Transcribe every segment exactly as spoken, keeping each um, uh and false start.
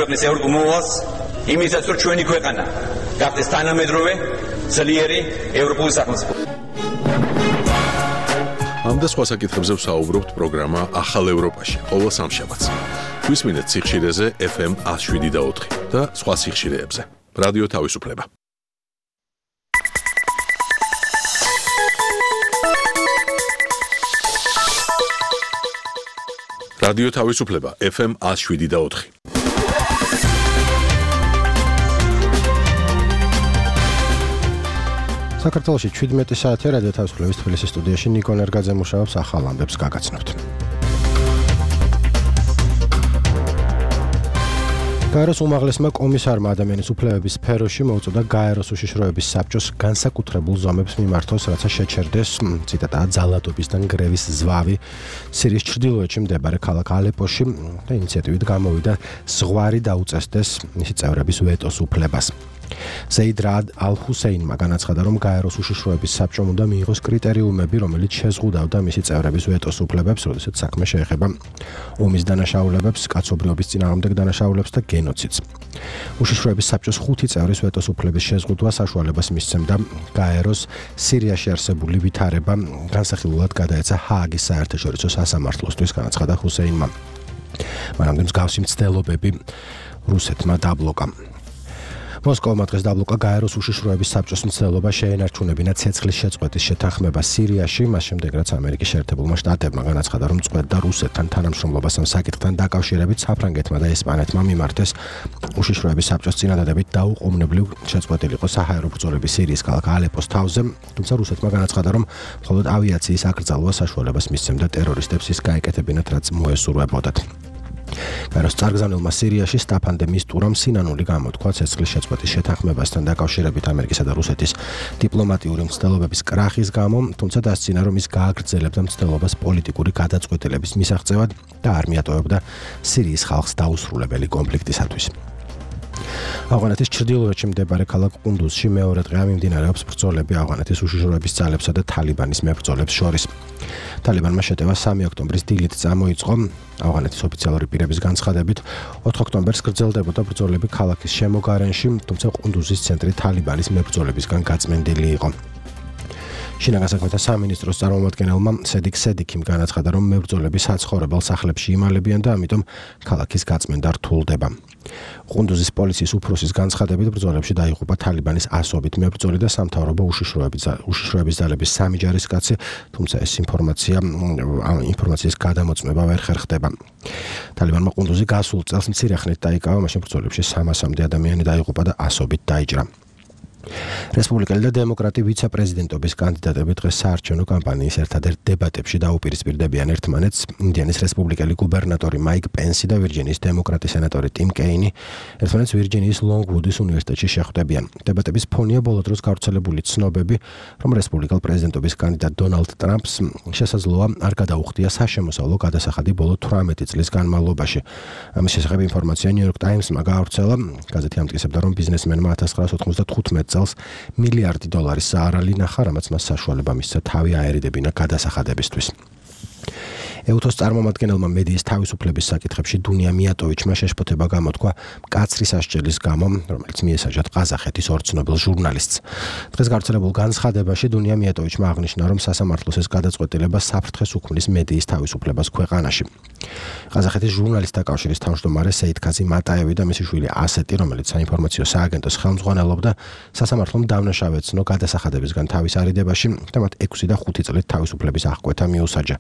ქვეყნის ევროპულს იმისაც რომ ჩვენი ქვეყანა გახდეს თანამედროვე ძლიერი ევროპული სახელმწიფო. ამ და სხვა საკითხებზე ვსაუბრობთ პროგრამა ახალ ევროპაში ყოველ სამშაბათს. გვისმინეთ სიხშირეზე ეფ ემ ათს შვიდი და ოთხი და სხვა სიხშირეებზე. რადიო თავისუფლება. რადიო თავისუფლება ეფ ემ ათს შვიდი და ოთხი. საქართველოში ჩვიდმეტი საათია რადიო თავისუფლების თბილისის სტუდიაში ნიკო ნერგაძე მუშაობს ახალ ამბებს გაგაცნობთ. გაეროს უმაღლესმა კომისარმა ადამიანის უფლებების სფეროში მოუწოდა გაეროს უშიშროების საბჭოს განსაკუთრებულ ზომებს მიმართოს, რაცა შეჩერდეს, ციტატაა, ძალადობისთან გრევის ზვავი სირიის ჩრდილოეთში მდებარე ქალაქ ალეპოში და ინიციატივით გამოვიდა ზღვარი დაუწესდეს მისი წევრების ვეტოს უფლებას. ზეიდ რად ალ-ჰუსეინმა განაცხადა, რომ გაეროს უშიშროების საბჭომ უნდა მიიღოს კრიტერიუმები, რომელიც შეზღუდავდა მისი წევრების ვეტოს უფლებებს, როდესაც საქმე შეეხება ომის დანაშაულებებს, კაცობრიობის წინააღმდეგ დანაშაულებს და გენოციდს. უშიშროების საბჭოს ხუთი წევრის ვეტოს უფლების შეზღუდვა საშუალებას მისცემდა გაეროს სირიაში არსებული ვითარება განსახილულად გადაეცა ჰააგის საერთაშორისო სასამართლოსთვის, განაცხადა ჰუსეინმა. მანამდე მსგავსი მცდელობები რუსეთმა დაბლოკა. მოსკოვმა დღეს დაბლოკა გაეროს უშიშროების საბჭოს მცდელობა შეენარჩუნებინა ცეცხლის შეწყვეტის შეთანხმება სირიაში, მას შემდეგ რაც ამერიკის შეერთებულმა შტატებმა განაცხადა, რომ წყვეტდა რუსეთთან თანამშრომლობას ამ საკითხთან დაკავშირებით საფრანგეთმა და ესპანეთმა მიმართეს უშიშროების საბჭოს წინადადებით დაუყოვნებლივ შეწყვეტილიყო საჰაერო ბრძოლები სირიის ქალაქ ალეპოს თავზე, თუმცა რუსეთმა განაცხადა, რომ მხოლოდ ავიაციის აკრძალვა საშუალებას მისცემდა ტერორისტებს ის გაეკეთებინათ, რაც მოესურვებოდათ. გაეროს წარგზავნილმა სირიაში სტაფან დე მისტურამ სინანული გამოთქვა ცეცხლის შეწყვეტის შეთანხმებასთან დაკავშირებით ამერიკისა და რუსეთის დიპლომატიური მცდელობების კრახის გამო, თუმცა დასცინა, რომ ის გააგრძელებდა მცდელობას პოლიტიკური გადაწყვეტილების მისაღწევად და არ მიატოვებდა სირიის ხალხს დაუსრულებელი კონფლიქტისათვის. ავღანეთის ჩრდილოეთში მდებარე ქალაქ ყუნდუზში მეორე დღეა მიმდინარეობს ბრძოლები ავღანეთის უშიშროების ძალებსა და თალიბანის მებრძოლებს შორის. თალიბანმა შეტევა სამი ოქტომბრის დილით წამოიწყო. ავღანეთის ოფიციალური პირების განცხადებით, ოთხ ოქტომბერს გრძელდებოდა ბრძოლები ქალაქის შემოგარენში, თუმცა ყუნდუზის ცენტრი თალიბანის მებრძოლებისგან გაწმენდილი იყო. შინაგან საქმეთა სამინისტროს წარმომადგენელმა სედიკ სედიკიმ განაცხადა, რომ მებრძოლები საცხოვრებელ სახლებში იმალებიან და ამიტომ ქალაქის გაწმენდა რთულდება. ყუნდუზის პოლიციის უფროსის განცხადებით, ბრძოლებში დაიღუპა თალიბანის ასობით მებრძოლი და სამთავრობო უშიშროების ძალების სამი ჯარისკაცი, თუმცა ეს ინფორმაცია ამ ინფორმაციის გადამოწმება ვერ ხერხდება. თალიბანმა ყუნდუზი გასულ წელს მცირე ხნით დაიკავა, მაშინ ბრძოლებში სამასამდე ადამიანი დაიღუპა და ასობით დაიჭრა. რესპუბლიკელი და დემოკრატი ვიცე-პრეზიდენტობის კანდიდატები დღეს საარჩევნო კამპანიის ერთადერთ დებატებში დაუპირისპირდებიან ერთმანეთს. ინდიანის რესპუბლიკელი გუბერნატორი მაიკ პენსი და ვირჯინიის დემოკრატი სენატორი ტიმ კეინი ერთმანეთს ვირჯინიის ლონგვუდის უნივერსიტეტში შეხვდებიან. დებატების ფონია ბოლო დროს გავრცელებული ცნობები, რომ რესპუბლიკელ პრეზიდენტობის კანდიდატ დონალდ ტრამპს შესაძლოა არ გადაუხდია საშემოსავლო გადასახადი ბოლო თვრამეტი წლის განმავლობაში. ამის შესახებ ინფორმაცია ნიუ-იორკ ტაიმსმა გაავრცელა. გაზეთი ამტკიცებდა, რომ ბიზნესმენმა ათას ცხრაას ოთხმოცდათხუთმეტ წელს მილიარდი დოლარის საარალი ნახა, რამაც მას საშუალება მისცა თავი აერიდებინა გადასახადებისთვის. ეუთოს წარმომადგენელმა მედიის თავისუფლების საკითხებში დუნია მიატოვიჩმა შეშფოთება გამოთქვა მკაცრი სასჯელის გამო, რომელიც მიესაჯა ყაზახეთის ორ ცნობილ ჟურნალისტს. დღეს გავრცელებულ განცხადებაში დუნია მიატოვიჩმა აღნიშნა, რომ სასამართლოს ეს გადაწყვეტილება საფრთხეს უქმნის მედიის თავისუფლებას ქვეყანაში. ყაზახეთის ჟურნალისტთა კავშირის თავმჯდომარე სეიდქაზი მატაევი და მისი შვილი ასეტი, რომელიც საინფორმაციო სააგენტოს ხელმძღვანელობდა, სასამართლომ დავნაშავე ეცნო გადასახადებისგან თავის არიდებაში და მათ ექვსი და ხუთი წლით თავისუფლების აღკვეთა მიუსაჯა.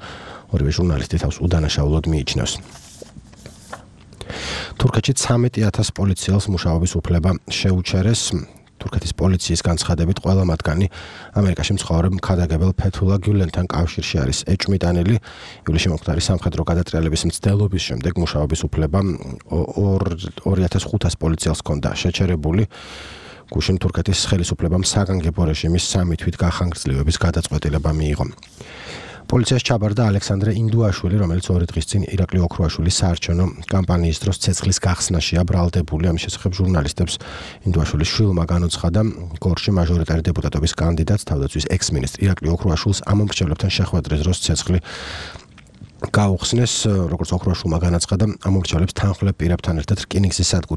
ორივე ჟურნალისტი თავს უდანაშაულოდ მიიჩნევს. თურქეთში ცამეტი ათას პოლიციელს მუშაობის უფლება შეუჩერეს. თურქეთის პოლიციის განცხადებით, ყველა მათგანი ამერიკაში მცხოვრე მქადაგებელ ფეთულა გიულენთან კავშირში არის ეჭვმიტანილი. ივლისში მომხდარი სამხედრო გადატრიალების მცდელობის შემდეგ მუშაობის უფლება ორი ათას ხუთას პოლიციელს ჰქონდა შეჩერებული. გუშინ თურქეთის ხელისუფლებამ საგანგებო რეჟიმის სამი თვით გახანგრძლივების გადაწყვეტილება მიიღო. პოლიციას ჩაბარდა ალექსანდრე ინდუაშვილი, რომელიც ორი დღის წინ ირაკლი ოქროაშვილის საარჩევნო კამპანიის დროს ცეცხლის გახსნაშია ბრალდებული. ამის შესახებ ჟურნალისტებს ინდუაშვილის შვილმა განუცხადა, გორში მაჟორიტარი დეპუტატობის კანდიდატს თავდაცვის ექს-მინისტრ ირაკლი ოქროაშვილს ამ მომრჩევლებთან შეხვედრის დროს ცეცხლი გაუხსნეს, როგორც ოქროშულმა განაცხადა, ამორჩევლებს თანხმლებ პირებთან ერთად რკინიგზის სადგური